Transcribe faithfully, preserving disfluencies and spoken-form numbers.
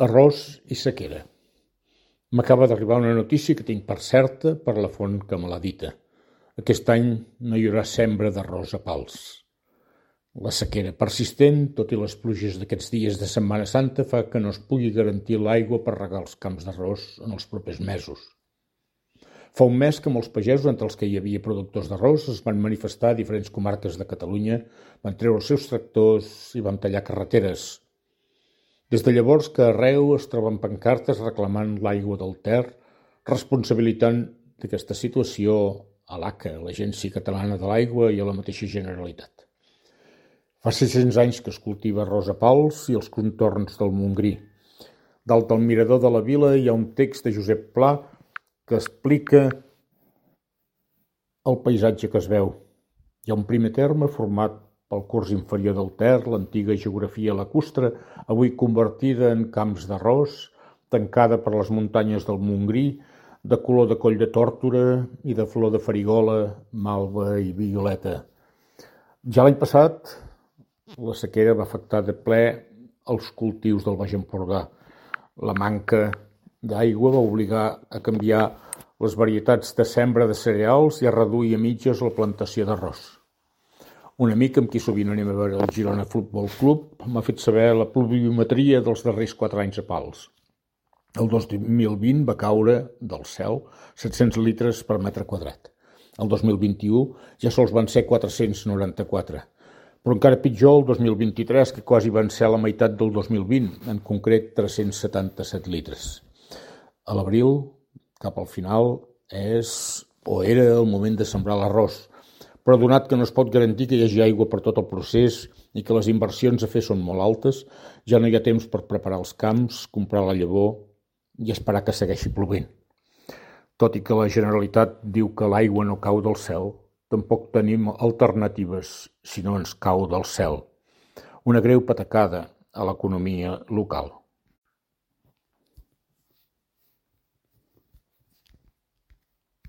Arròs i sequera. M'acaba d'arribar una notícia que tinc per certa per la font que me l'ha dita. Aquest any no hi haurà sembra d'arròs a pals. La sequera persistent, tot i les pluges d'aquests dies de Setmana Santa, fa que no es pugui garantir l'aigua per regar els camps d'arròs en els propers mesos. Fa un mes que molts pagesos, entre els que hi havia productors d'arròs, es van manifestar a diferents comarques de Catalunya, van treure els seus tractors i van tallar carreteres. Des de llavors que arreu es troben pancartes reclamant l'aigua del Ter, responsabilitzant d'aquesta situació a l'A C A, l'Agència Catalana de l'Aigua, i a la mateixa Generalitat. Fa sis-cents anys que es cultiva arròs a pals i els contorns del Montgrí. Dalt del mirador de la vila hi ha un text de Josep Pla que explica el paisatge que es veu. Hi ha un primer terme format pel curs inferior del Ter, l'antiga geografia lacustre, avui convertida en camps d'arròs, tancada per les muntanyes del Montgrí, de color de coll de tórtora i de flor de farigola, malva i violeta. Ja l'any passat, la sequera va afectar de ple els cultius del Baix Empordà. La manca d'aigua va obligar a canviar les varietats de sembra de cereals i a reduir a mitges la plantació d'arròs. Un amic amb qui sovint anem a veure el Girona Futbol Club m'ha fet saber la pluviometria dels darrers quatre anys a Pals. El dos mil vint va caure del cel set-cents litres per metre quadrat. El dos mil vint-i-u ja sols van ser quatre-cents noranta-quatre. Però encara pitjor el dos mil vint-i-tres, que quasi van ser la meitat del dos mil vint, en concret tres-cents setanta-set litres. A l'abril, cap al final, és o era el moment de sembrar l'arròs, però donat que no es pot garantir que hi hagi aigua per tot el procés i que les inversions a fer són molt altes, ja no hi ha temps per preparar els camps, comprar la llavor i esperar que segueixi plovent. Tot i que la Generalitat diu que l'aigua no cau del cel, tampoc tenim alternatives si no ens cau del cel. Una greu patacada a l'economia local.